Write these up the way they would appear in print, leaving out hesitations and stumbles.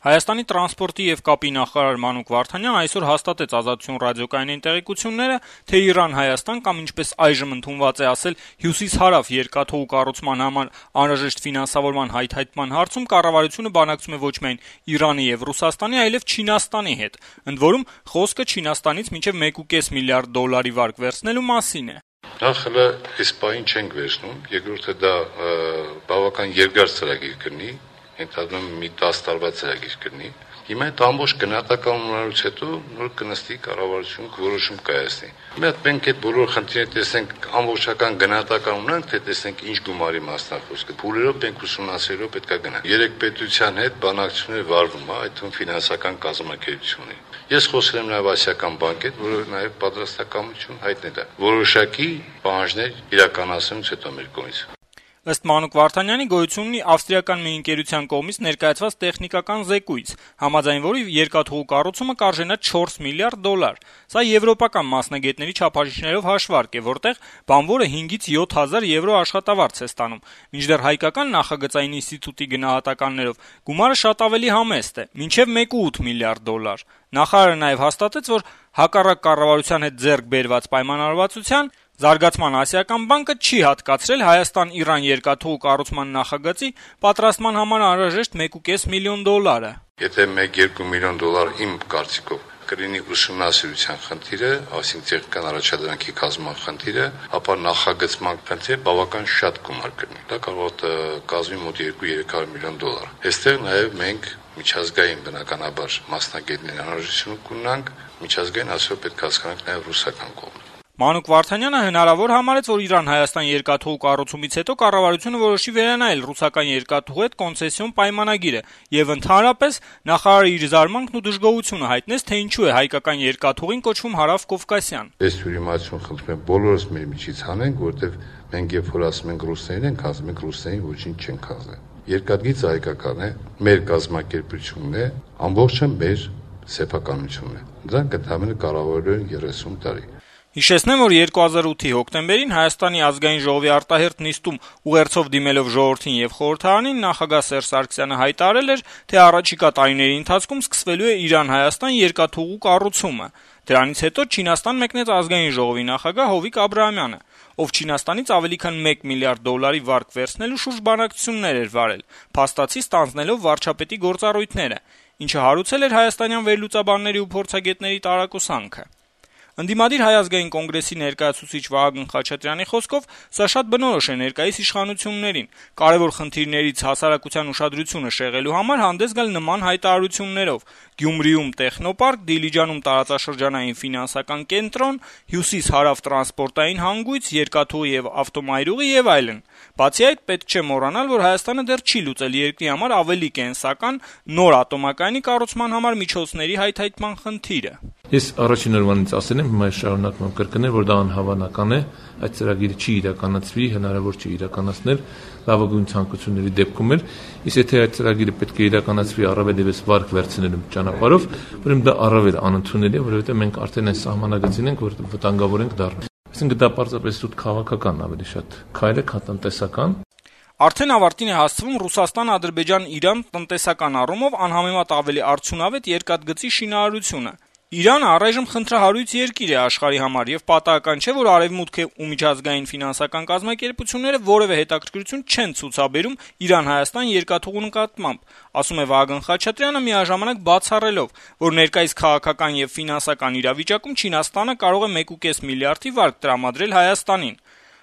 Հայաստանի տրանսպորտի եւ կապի նախարար Մանուկ Վարդանյանը այսօր հաստատեց Ազատություն ռադիոկայանի տեղեկությունները, թե Իրան-Հայաստան կամ ինչպես այժմ ընդունված է ասել Հյուսիս-Հարավ երկաթուղու կառուցման համար անհրաժեշտ ֆինանսավորման հայթայթման հարցում կառավարությունը բանակցում է ոչ միայն Իրանի եւ Ռուսաստանի, այլև Չինաստանի հետ, ընդ որում խոսքը Չինաստանից մինչեւ 1.5 միլիարդ դոլարի վարկ վերցնելու մասին է։ Նախ հələ այս պահին չենք վերցնում, երկրորդը դա բավական երկար ծրագիր կլինի, ընդհանրում մի 10 տարվա ծրագիր կլինի։ Հիմա այդ ամբողջ գնահատական ունենալուց հետո նոր կնստի կառավարությունը որոշում կայացնի։ Հիմա մենք այդ բոլոր խնդիրները տեսենք ամբողջական գնահատական ունենք, թե տեսենք ինչ գումարի մասնա խոսքը։ Փուլերով մենք ուսումնասիրելով պետք է գնանք։ Երեք պետության հետ բանակցություններ վարվում է, այդ թվում ֆինանսական կազմակերպությունների։ Ես խոսել եմ նաև ասիական բանկի հետ, որը նաև պատրաստակամություն հայտնել է որոշակի պահանջներ իրականացնելուց հետո մեր կողմից։ Ըստ Մանուկ Վարդանյանի գոյություն ունի ավստրիական մի ընկերության կողմից ներկայացված տեխնիկական զեկույց, համաձայն որի երկաթուղու կառուցումը կարժենա 4 միլիարդ դոլար։ Սա եվրոպական մասնագետների չափորոշիչներով հաշվարկ է, որտեղ բանվորը 5-ից 7,000 եվրո աշխատավարձ է ստանում, մինչդեռ հայկական նախագծային ինստիտուտի գնահատականներով գումարը շատ ավելի համեստ է՝ մինչև 1.8 միլիարդ դոլար։ Նախարարը նաև հաստատեց, որ հակառակ կառավարության հետ ձեռք բերված պայմանավորվածության Զարգացման ասիական բանկը չի հատկացրել Հայաստան-Իրան երկաթուղու կառուցման նախագծի պատրաստման համար անհրաժեշտ 1.5 միլիոն դոլարը։ Եթե 1-2 միլիոն դոլար իմ կարծիքով կլինի ուսումնասիրության խնդիրը, այսինքն տեխնիկական առաջադրանքի կազմման խնդիրը, ապա նախագծման խնդիրը բավական շատ գումար կլինի։ Դա կարող է կազմի մոտ 2-300 միլիոն դոլար։ Այստեղ նաև մենք միջազգային բնականաբար մասնագետների անհրաժեշտություն կունենանք, միջազգային ասելով պետք է հասկանանք նաև ռուսական կողմը։ Մանուկ Վարդանյանը հնարավոր համարեց, որ Իրան-Հայաստան երկաթուղու կառուցումից հետո կառավարությունը որոշի վերանայել ռուսական երկաթուղու հետ կոնցեսիոն պայմանագիրը եւ ընդհանրապես նախարարը իր զարմանքն ու դժգոհությունը հայտնեց, թե ինչու է հայկական երկաթուղին կոչվում Հարավ-Կովկասյան։ Այս ուրիմացություն խնդրում եմ բոլորս մեր միջից հանենք, որովհետեւ մենք երբ որ ասում ենք ռուսներին ենք ասում ենք ռուսներին ոչինչ չենք ասել։ Երկաթգիծը հայկական է, մեր կազմակերպությունն է, ամբողջը մեր սեփականությունն է։ Դրանք ընդհանրապես կառավարելու են 30 տարի։ Հիշեցնեմ, որ 2008-ի հոկտեմբերին Հայաստանի ազգային ժողովի արտահերթ նիստում ուղերձով դիմելով ժողովրդին եւ խորհրդարանին նախագահ Սերժ Սարգսյանը հայտարարել էր, թե առաջիկա տարիների ընթացքում սկսվելու է Իրան-Հայաստան երկաթուղու կառուցումը։ Դրանից հետո Չինաստան մեկնեց ազգային ժողովի նախագահ Հովիկ Աբրահամյանը, ով Չինաստանից ավելի քան 1 միլիարդ դոլարի վարկ վերցնելու շուրջ բանակցություններ էր վարել, փաստացի ստանձնելով վարչապետի գործառույթները, ինչը հարուցել էր հայաստանյան վերլուծաբանների ու փորձագետների տարակուսանքը։ Ընդդիմադիր Հայ ազգային կոնգրեսի ներկայացուցիչ Վահագն Խաչատրյանի խոսքով սա շատ բնորոշ է ներկայիս իշխանություններին, կարևոր խնդիրներից հասարակության ուշադրությունը շեղելու համար հանդես գալ նման հայտարարություններով՝ Գյումրիում տեխնոպարկ, Դիլիջանում տարածաշրջանային ֆինանսական կենտրոն, Հյուսիս-Հարավ տրանսպորտային հանգույց, երկաթուղի եւ ավտոմայրուղի եւ այլն։ Բացի այդ, պետք չէ մոռանալ, որ Հայաստանը դեռ չի լուծել երկրի համար ավելի կենսական նոր ատոմակայանի կառուցման համար միջոցների հայթայթման խնդիրը։ Ես առաջին օրվանից ասել եմ, հիմա շարունակում եմ կրկնել, որ դա անհավանական է, այդ ծրագիրը չի իրականացվի, հնարավոր չի իրականացնել լավագույն ցանկությունների դեպքում էլ, իսկ եթե այդ ծրագիրը պետք է իրականացվի առավել եւս վարկ վերցնելու ճանապարհով, ուրեմն դա առավել անընդունել է, որովհետեւ մենք արդեն այն սահմանագծին ենք, որ վտանգավոր ենք դառնում։ Այսինքն դա պարզապես սուտ քաղաքական ավելի շատ քայլ է, քան տնտեսական։ Արդեն ավարտին է հասցվում Ռուսաստան-Ադրբեջան-Իրան տնտեսական առումով անհամեմատ ավելի արդյունավետ երկաթգծի շինարարությունը։ Իրանը առայժմ խնդրահարույց երկիր է աշխարհի համար եւ պատահական չէ, որ Արևմուտքը ու միջազգային ֆինանսական կազմակերպությունները որևէ հետաքրքրություն չեն ցուցաբերում Իրան-Հայաստան երկաթուղու նկատմամբ, ասում է Վահագն Խաչատրյանը միաժամանակ բացառելով, որ ներկայիս քաղաքական եւ ֆինանսական իրավիճակում Չինաստանը կարող է 1.5 միլիարդի վարկ տրամադրել Հայաստանին։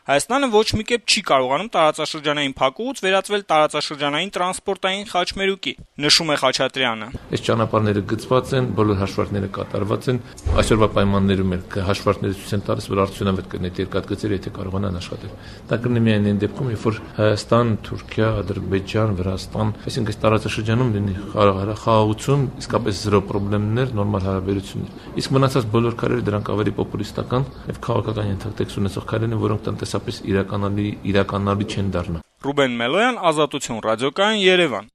Հայաստանը ոչ մի կերպ չի կարողանում տարածաշրջանային փակուղուց վերածվել տարածաշրջանային տրանսպորտային խաչմերուկի, նշում է Խաչատրյանը։ Այս ճանապարհները գծված են, բոլոր հաշվարկները կատարված են, այսօրվա պայմաններում էլ հաշվարկները ցույց են տալիս, որ արդյունավետ կլինի երկաթգծերը, եթե կարողանան աշխատել։ Դա կլինի միայն այն դեպքում, երբ որ Հայաստան, Թուրքիա, Ադրբեջան, Վրաստան, այսինքն այս տարածաշրջանում լինի խաղաղություն, իսկապես զրո խնդիրներ, նորմալ հարաբերություններ։ Իսկ մնացած բոլոր քայլերը դրանք ավելի պոպուլիստական եւ քաղաքական ենթակտեքս ունեցող քայլեր են, որոնք տնտեսապես իրականալի չեն դառնա։ Ռուբեն Մելոյան, Ազատություն ռադիոկայան, Երևան։